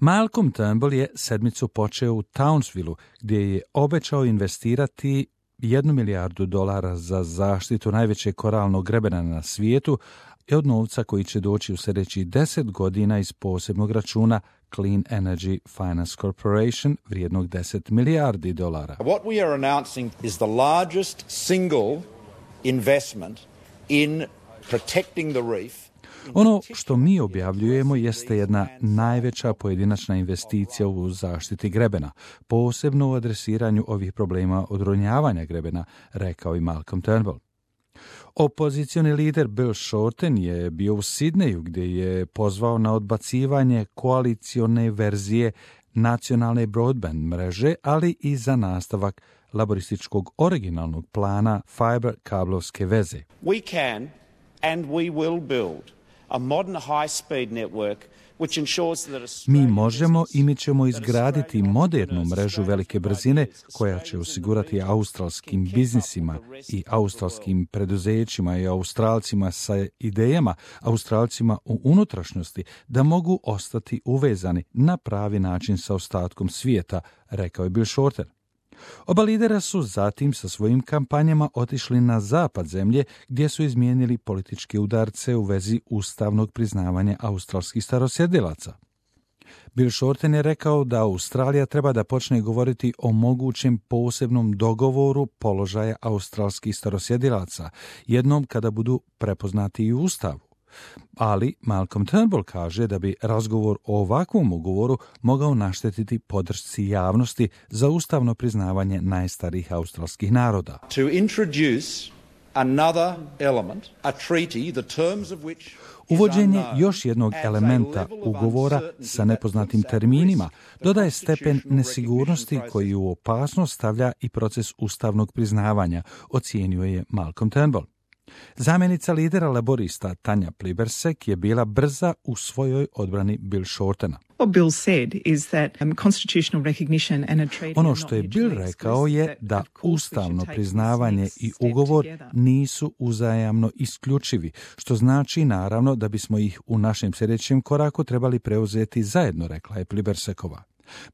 Malcolm Turnbull je sedmicu počeo u Townsvilleu, gdje je obećao investirati $1 milijardu za zaštitu najvećeg koralnog grebena na svijetu i od novca koji će doći u sljedećih 10 godina iz posebnog računa Clean Energy Finance Corporation vrijednog $10 milijardi. What we are announcing is the largest single investment in protecting the reef. Ono što mi objavljujemo jeste jedna najveća pojedinačna investicija u zaštiti grebena, posebno u adresiranju ovih problema odronjavanja grebena, rekao i Malcolm Turnbull. Opozicioni lider Bill Shorten je bio u Sidneju, gdje je pozvao na odbacivanje koalicione verzije nacionalne broadband mreže, ali i za nastavak laborističkog originalnog plana fiber kablovske veze. We can and we will build a modern high-speed network which ensures that Mi možemo i mi ćemo izgraditi modernu mrežu velike brzine koja će osigurati australskim biznisima i australskim preduzećima i Australcima sa idejama, Australcima u unutrašnjosti da mogu ostati uvezani na pravi način sa ostatkom svijeta, rekao je Bill Shorten. Oba lidera su zatim sa svojim kampanjama otišli na zapad zemlje gdje su izmijenili političke udarce u vezi ustavnog priznavanja australskih starosjedilaca. Bill Shorten je rekao da Australija treba da počne govoriti o mogućem posebnom dogovoru položaja australskih starosjedilaca, jednom kada budu prepoznati i u ustavu. Ali Malcolm Turnbull kaže da bi razgovor o ovakvom ugovoru mogao naštetiti podršci javnosti za ustavno priznavanje najstarijih australskih naroda. To introduce another element, a treaty, the terms of which Uvođenje još jednog elementa ugovora sa nepoznatim terminima dodaje stepen nesigurnosti koji u opasnost stavlja i proces ustavnog priznavanja, ocijenio je Malcolm Turnbull. Zamjenica lidera laborista Tanja Plibersek je bila brza u svojoj odbrani Bill Shortena. Ono što je Bill rekao je da ustavno priznavanje i ugovor nisu uzajamno isključivi, što znači naravno da bismo ih u našem sljedećem koraku trebali preuzeti zajedno, rekla je Plibersekova.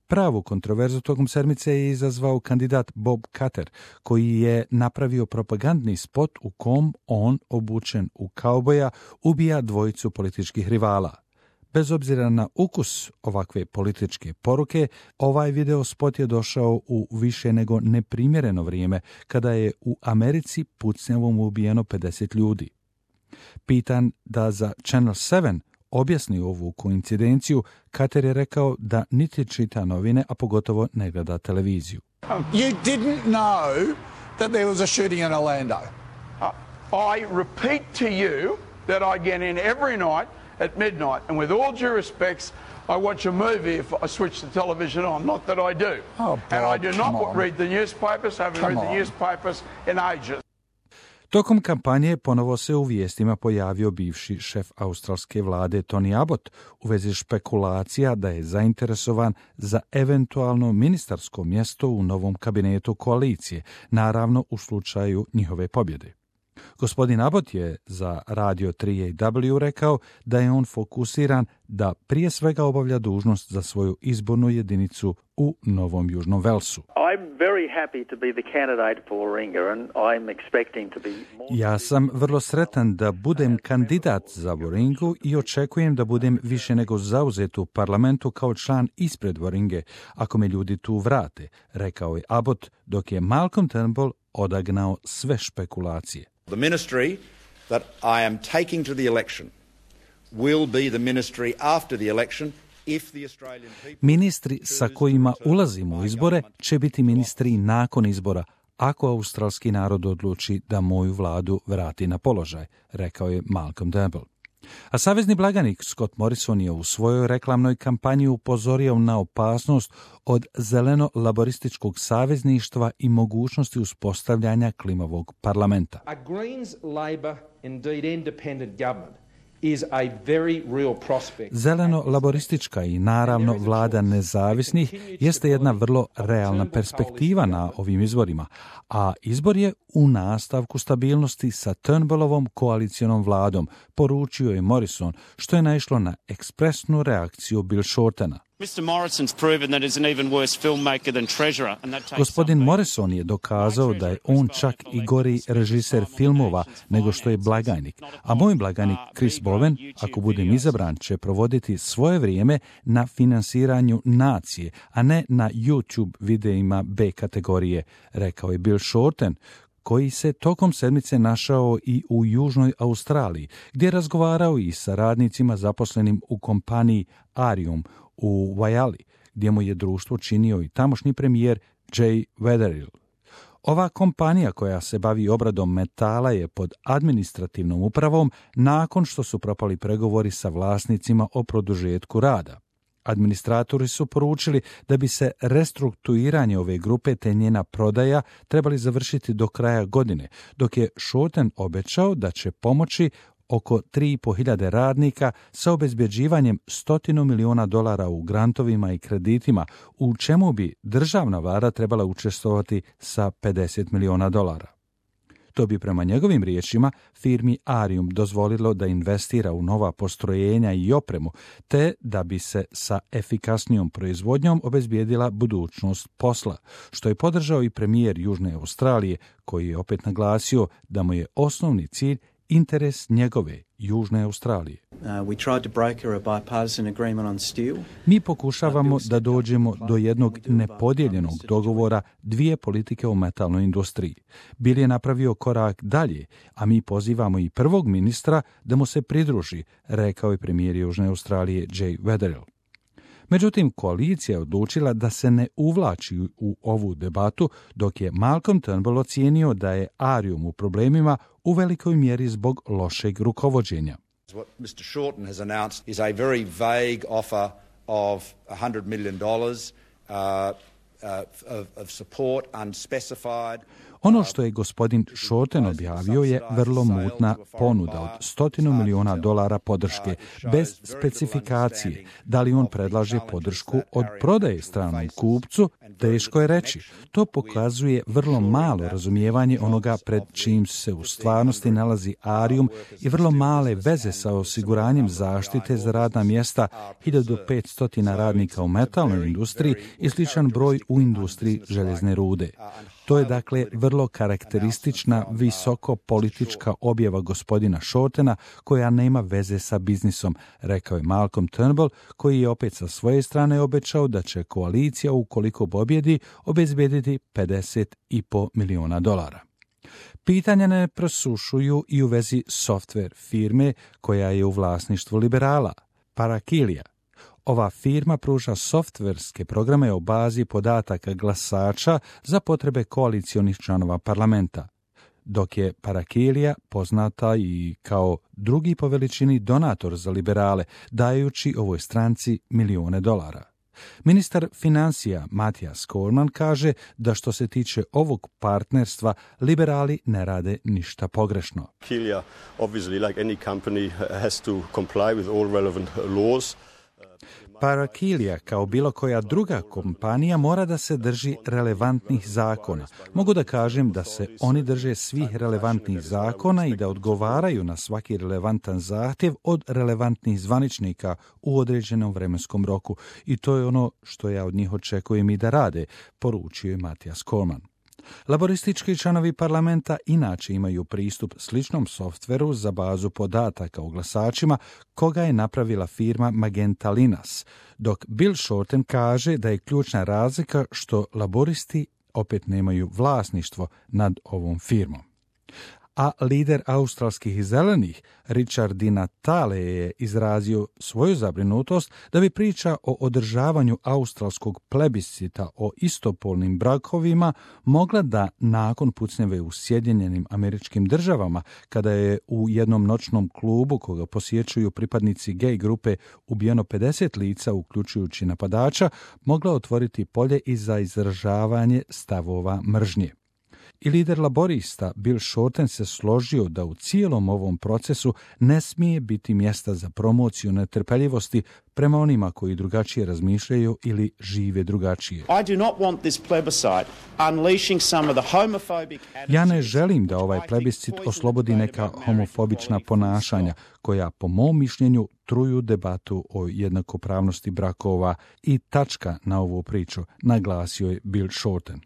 Pravu kontroverzu tokom sedmice je izazvao kandidat Bob Katter, koji je napravio propagandni spot u kom on, obučen u kauboja, ubija dvojicu političkih rivala. Bez obzira na ukus ovakve političke poruke, ovaj video spot je došao u više nego neprimjereno vrijeme, kada je u Americi pucnjavom ubijeno 50 ljudi. Pitan da za Channel 7 objasni ovu koincidenciju, Kater je rekao da niti čita novine, a pogotovo ne gleda televiziju. You didn't know that there was a shooting in Orlando. I repeat to you that I get in every night at midnight, and with all due respects, I watch a movie if I switch the television on, not that I do. Bob, and I do not read the newspapers, haven't read the newspapers in ages. Tokom kampanje ponovo se u vijestima pojavio bivši šef australske vlade Tony Abbott u vezi špekulacija da je zainteresovan za eventualno ministarsko mjesto u novom kabinetu koalicije, naravno u slučaju njihove pobjede. Gospodin Abbott je za Radio 3AW rekao da je on fokusiran da prije svega obavlja dužnost za svoju izbornu jedinicu u Novom Južnom Velsu. Ja sam vrlo sretan da budem kandidat za Warringu i očekujem da budem više nego zauzet u parlamentu kao član ispred Warringe, ako me ljudi tu vrate, rekao je Abbott, dok je Malcolm Turnbull odagnao sve špekulacije. The ministry that I am taking to the election will be the ministry after the election if the Australian people... Ministri sa kojima ulazimo u izbore će biti ministri nakon izbora, ako australski narod odluči da moju vladu vrati na položaj, rekao je Malcolm Turnbull. A savezni blaganik Scott Morrison je u svojoj reklamnoj kampanji upozorio na opasnost od zeleno-laborističkog savezništva i mogućnosti uspostavljanja klimavog parlamenta. A Greens, Labor, indeed independent government is a very real prospect. Zeleno-laboristička i naravno vlada nezavisnih jeste jedna vrlo realna perspektiva na ovim izborima, a izbor je u nastavku stabilnosti sa Turnbullovom koalicionom vladom, poručio je Morrison, što je naišlo na ekspresnu reakciju Bill Shortena. Gospodin Morrison je dokazao da je on čak i gori režiser filmova nego što je blagajnik. A moj blagajnik Chris Bowen, ako budem izabran, će provoditi svoje vrijeme na finansiranju nacije, a ne na YouTube videima B kategorije, rekao je Bill Shorten, koji se tokom sedmice našao i u Južnoj Australiji, gdje je razgovarao i sa radnicima zaposlenim u kompaniji Arium u Waiali, gdje mu je društvo činio i tamošnji premijer Jay Weatherill. Ova kompanija koja se bavi obradom metala je pod administrativnom upravom nakon što su propali pregovori sa vlasnicima o produžetku rada. Administratori su poručili da bi se restrukturiranje ove grupe te njena prodaja trebali završiti do kraja godine, dok je Shorten obećao da će pomoći oko 3.500 radnika sa obezbjeđivanjem $100 miliona u grantovima i kreditima, u čemu bi državna vlada trebala učestvovati sa $50 miliona. To bi prema njegovim riječima firmi Arium dozvolilo da investira u nova postrojenja i opremu, te da bi se sa efikasnijom proizvodnjom obezbijedila budućnost posla, što je podržao i premijer Južne Australije, koji je opet naglasio da mu je osnovni cilj interes njegove Južne Australije. Mi pokušavamo da dođemo do jednog nepodijeljenog dogovora dvije politike o metalnoj industriji. Bill je napravio korak dalje, a mi pozivamo i prvog ministra da mu se pridruži, rekao je premijer Južne Australije Jay Weatherill. Međutim, koalicija je odlučila da se ne uvlači u ovu debatu, dok je Malcolm Turnbull ocijenio da je Arium u problemima u velikoj mjeri zbog lošeg rukovođenja. What Mr. Shorten has announced is a very vague offer of $100 million of support, unspecified. Ono što je gospodin Shorten objavio je vrlo mutna ponuda od $100 miliona podrške, bez specifikacije. Da li on predlaže podršku od prodaje stranom kupcu, teško je reći. To pokazuje vrlo malo razumijevanje onoga pred čim se u stvarnosti nalazi Arium i vrlo male veze sa osiguranjem zaštite za radna mjesta 1500 radnika u metalnoj industriji i sličan broj u industriji željezne rude. To je dakle vrlo karakteristična visoko politička objava gospodina Shortena koja nema veze sa biznisom, rekao je Malcolm Turnbull, koji je opet sa svoje strane obećao da će koalicija, ukoliko pobjedi, obezbediti $50,5 miliona. Pitanja ne presušuju i u vezi software firme koja je u vlasništvu liberala, Parakilia. Ova firma pruža softverske programe o bazi podataka glasača za potrebe koalicionih članova parlamenta, dok je Parakilia poznata i kao drugi po veličini donator za liberale, dajući ovoj stranci milijune dolara. Ministar financija Matthias Cormann kaže da što se tiče ovog partnerstva, liberali ne rade ništa pogrešno. Parakilia, obviously, like any company, has to comply with all relevant laws. Parakilia, kao bilo koja druga kompanija, mora da se drži relevantnih zakona. Mogu da kažem da se oni drže svih relevantnih zakona i da odgovaraju na svaki relevantan zahtjev od relevantnih zvaničnika u određenom vremenskom roku. I to je ono što ja od njih očekujem i da rade, poručio je Matthias Cormann. Laboristički članovi parlamenta inače imaju pristup sličnom softveru za bazu podataka o glasačima koga je napravila firma Magenta Linas, dok Bill Shorten kaže da je ključna razlika što laboristi opet nemaju vlasništvo nad ovom firmom. A lider australskih zelenih Richard Di Natale je izrazio svoju zabrinutost da bi priča o održavanju australskog plebiscita o istopolnim brakovima mogla da nakon pucnjave u Sjedinjenim Američkim Državama, kada je u jednom noćnom klubu koga posjećuju pripadnici gej grupe ubijeno 50 lica uključujući napadača, mogla otvoriti polje i za izražavanje stavova mržnje. I lider laborista Bill Shorten se složio da u cijelom ovom procesu ne smije biti mjesta za promociju netrpeljivosti prema onima koji drugačije razmišljaju ili žive drugačije. Ja ne želim da ovaj plebiscit oslobodi neka homofobična ponašanja koja, po mom mišljenju, truju debatu o jednakopravnosti brakova i tačka na ovu priču, naglasio je Bill Shorten.